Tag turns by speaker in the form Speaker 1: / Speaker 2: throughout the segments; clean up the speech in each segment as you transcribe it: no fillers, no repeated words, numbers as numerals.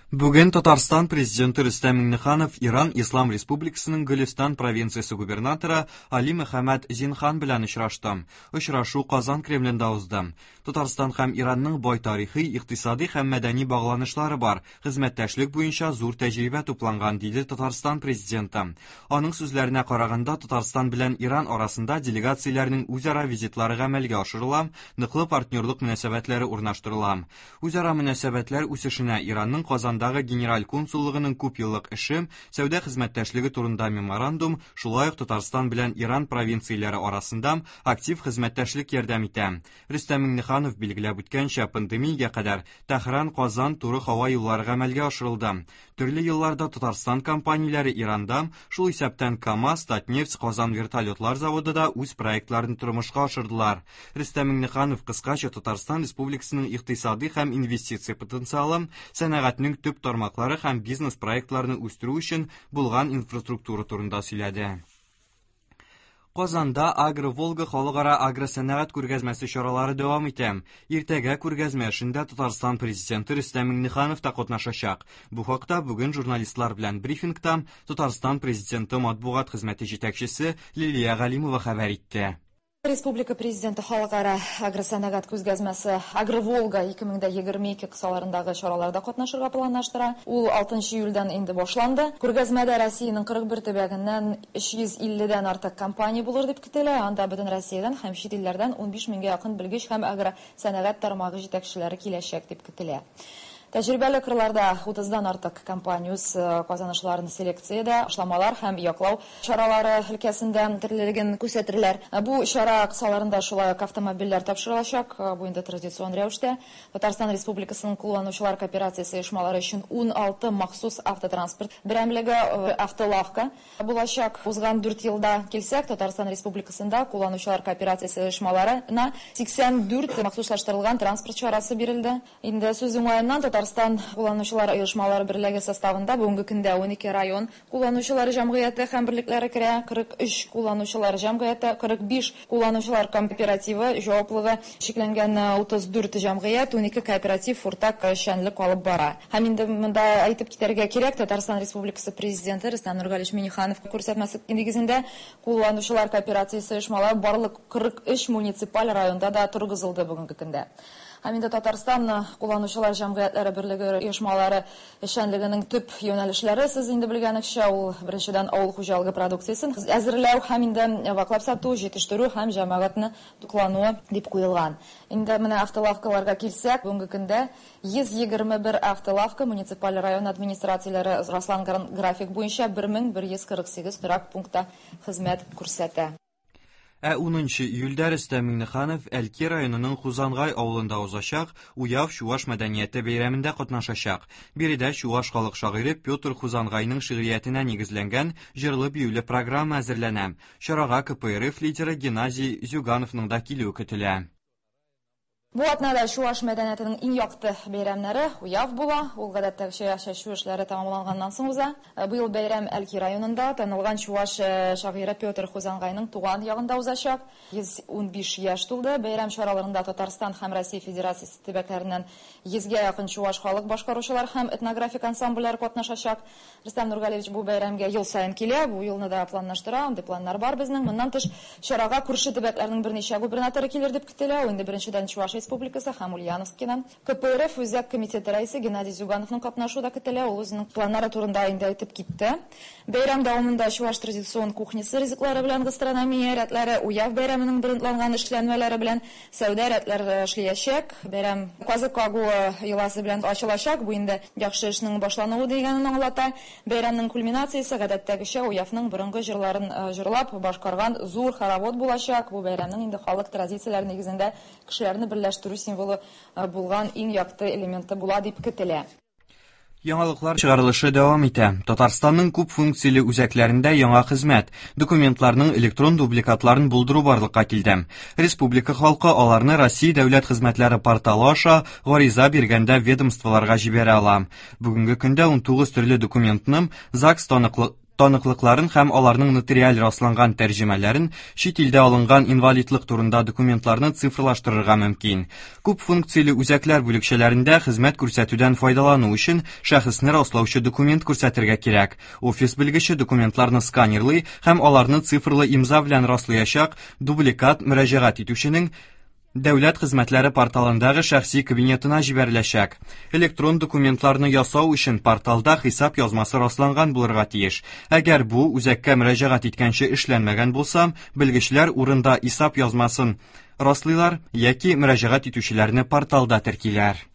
Speaker 1: Бүген Татарстан президенты Рөстәм Миңнеханов Иран Ислам Республикасының Гөлестан провинциясе губернаторы Али Мөхәммәд Зинхан белән очрашты. Очрашу Казан Кремлендә узды. Татарстан һәм Иранның бай тарихи, икътисади һәм мәдәни багланышлары бар, хезмәттәшлек буенча зур тәҗрибә тупланган, диде Татарстан президенты. Аның сүзләренә караганда, Татарстан белән Иран арасында делегацияләрнең үзара визитлары гамәлгә ашырыла, ныклы партнерлык мөнәсәбәтләре урнаштырыла. Үзара мөнәсәбәтләр үсешенә Иранның Казандагы Генераль консуллыгының күпьеллык эше, сәүдә хезмәттәшлеге турында меморандум, шулай ук Татарстан белән Иран провинцияләре арасында актив хезмәттәшлек ярдәм итә. Рөстәм Миңнеханов билгеләп үткәнчә, пандемиягә кадәр Тәһран-Казан туры һава юллары гамәлгә ашырылды. Төрле елларда Татарстан компанияләре Иранда, шул исәптән КАМАЗ, Татнефть, Казан вертолетлар заводы да үз проектларын тормышка ашырдылар. Рөстәм Миңнеханов кыскача Татарстан Республикасының икътисади һәм инвестиция потенциалы, сәнәгатьнең төп тармаклары һәм бизнес-проектларны үстерү өчен булган инфраструктура турында сөйләде. Казанда Агро-Волга халыкара агросәнәгать күргәзмәсе чаралары дәвам итә. Иртәгә күргәзмә эшендә Татарстан Президенты Рөстәм Миңнеханов та катнашачак. Бу хакта бүген журналистлар белән брифингта Татарстан Президенты матбугат хезмәте җитәкчесе Лилия Галимова хәбәр итте.
Speaker 2: Республика Президенты халыкара агросәнәгать күзгәзмәсе Агроволга 2022 кысаларындагы чараларда катнашырга планлаштыра. Ул 6 июльдән инде башланды. Күргәзмәдә Россиянең 41 төбәгеннән 350 дән артык компания булыр дип көтелә. Анда бөтен Россиядән һәм чит илләрдән 15 меңгә якын белгеч һәм агросәнәгать тармагы җитәкчеләре киләчәк дип көтелә. Тәҗрибәле кырларда 30-дан артык компания үз казанышларын селекциядә, ашламалар һәм яклау чаралары өлкәсендә төрлелеген күрсәтерләр. Бу чара кысаларында шулай ук автомобильләр тапшырылачак. Бу инде традицион рәвештә. Татарстан Республикасының кулланучылар кооперациясе оешмалары өчен 16 махсус автотранспорт берәмлеге, автолавка булачак. Узган 4 елда килсәк, Татарстан Республикасында кулланучылар кооперациясе оешмаларына 84 махсуслаштырылган транспорт чарасы бирелде. Инде сүз уңаеннан, Татарстан кулланучылар оешмалары берлеге составында бүгенге көндә 12 район кулланучылар җәмгыяте һәм берлекләре керә, 43 кулланучылар җәмгыяте, 45 кулланучылар кооперативы җаваплыгы чикләнгән 34 җәмгыять, 12 кооператив уртак эшчәнлек алып бара. Һәм инде монда әйтеп китәргә кирәк, Татарстан Республикасы Президенты Рөстәм Нургалиевич Миңнеханов күрсәтмәсе нигезендә кулланучылар кооперациясе оешмалары барлык 43 муниципаль районда да торгызылды бүгенге көндә. Һәм инде Татарстан кулланучылар җәмгыятьләре берлеге оешмалары эшчәнлегенең төп юнәлешләре, сез инде белгәнегезчә, ул беренчедән авыл хуҗалыгы продукциясен әзерләү һәм инде ваклап сату, җитештерү һәм җәмәгатьне туклануы дип куелган. Инде менә автолавкаларга килсәк, бүгенге көндә 121 автолавка муниципаль район администрацияләре расланган график буенча 1148 торак пунктта хезмәт күрсәтә.
Speaker 1: Ә 10 июльдә Рөстәм Миңнеханов Әлки районының Хузангай авылында узачак Уяв чуаш мәдәнияте бәйрәмендә катнашачак. Биредә чуаш халык шагыйре Петр Хузангайның шигъриятенә нигезләнгән җырлы-биюле программа әзерләнә. Чарага КПРФ лидеры Геннадий Зюгановның да килүе көтелә.
Speaker 2: Бу атнада чуаш мәдәниятенең иң якты бәйрәмнәре Уяв була. Ул гадәттәгечә чәчү эшләре тәмамланганнан соң уза. Быел бәйрәм Әлки районында танылган чуаш шагыйре Петр Хузангайның туган ягында узачак. 115 яшь тулды. Бәйрәм чараларында Татарстан һәм Россия Федерациясе төбәкләреннән 100гә якын чуаш халык башкаручылар һәм этнографик ансамбльләр катнашачак. Рөстәм Нургалиевич бу бәйрәмгә ел саен килә, бу елны да планлаштыра, андый планнар бар безнең. Моннан тыш, чарага күрше төбәкләрнең берничә губернаторы килер дип көтелә. Ул инде беренчедән Чуваш Республикасы һәм Ульяновскидан. КПРФ Үзәк комитеты рәисе Геннадий Зюгановның катнашуы да көтелә. Ул үзенең планнары турында инде әйтеп китте. Бәйрәм дәвамында чуваш традицион кухнясы ризыклары белән гастрономия рәтләре, Уяв бәйрәменең брендланган эшләнмәләре белән сәүдә рәтләре эшләячәк. Бәйрәм казык кагуы йоласы белән ачылачак. Бу инде яхшы эшнең башлануы дигәнен аңлата. Бәйрәмнең кульминациясе гадәттәгечә Уявның борынгы җырларын җырлап башкарган зур хоровод булачак. Бу бәйрәмнең инде халык традицияләре нигезендә кешеләрне берләштерү символы булган иң якты элементы була дип көтелә.
Speaker 1: Яңалыклар чыгарылышы дәвам итә. Татарстанның күп функцияле үзәкләрендә яңа хезмәт, документларның электрон дубликатларын булдыру барлыкка килде. Республика халкы аларны Россия дәүләт хезмәтләре порталы аша гариза биргәндә ведомстволарга җибәрә ала. Бүгенге көндә 19 төрле документны ЗАГС таныклык. таныклыкларын һәм аларның нотариаль расланган тәрҗемәләрен, чит илдә алынган инвалидлык турында документларны цифрлаштырырга мөмкин. Күп функцияле үзәкләр бүлекчәләрендә хезмәт күрсәтүдән файдалану өчен шәхесне раслаучы документ күрсәтергә кирәк. Офис белгече документларны сканерлый һәм аларны цифрлы имза белән раслаячак. Дубликат мөрәҗәгать итүченең Дәүләт хезмәтләре порталындагы шәхси кабинетына җибәреләчәк. Электрон документларны ясау өчен порталда хисап язмасы расланган булырга тиеш. Әгәр бу үзәккә мөрәҗәгать иткәнче эшләнмәгән булса, белгечләр урында хисап язмасын раслыйлар яки мөрәҗәгать итүчеләрне порталда теркиләр.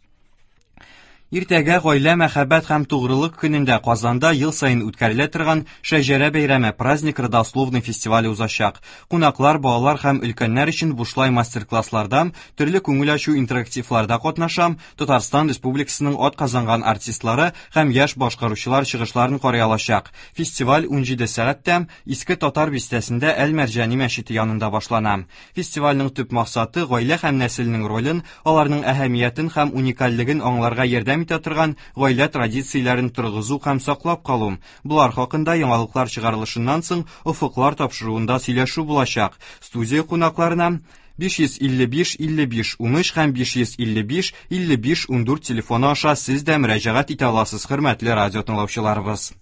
Speaker 1: Иртәгә гаилә, мәхәббәт һәм тугрылык көнендә Казанда ел саен үткәрелә торган Шәҗәрә бәйрәме, Праздник родословной фестивале узачак. Кунаклар балалар һәм өлкәннәр өчен бушлай мастер-классларда, төрле күңел ачу интерактивларда катнаша, Татарстан Республикасының атказанган артистлары һәм яшь башкаручылар чыгышларын карый алачак. Фестиваль 17 сәгатьтә Иске Татар бистәсендә Әл-Мәрҗани мәчете янында башлана. Фестивальнең төп максаты гаилә һәм нәселнең ролен, аларның әһәмиятен һәм уникальлеген аңларга ярдәм итә торган гаилә традицияләрен торгызу һәм саклап калу. Болар хакында яңалыклар чыгарылышыннан соң Офыклар тапшыруында сөйләшү булачак. Студия кунакларына 555 55 13 һәм 555 55 14 телефоны аша сез дә мөрәҗәгать итә аласыз, хөрмәтле радио тыңлаучыларыбыз.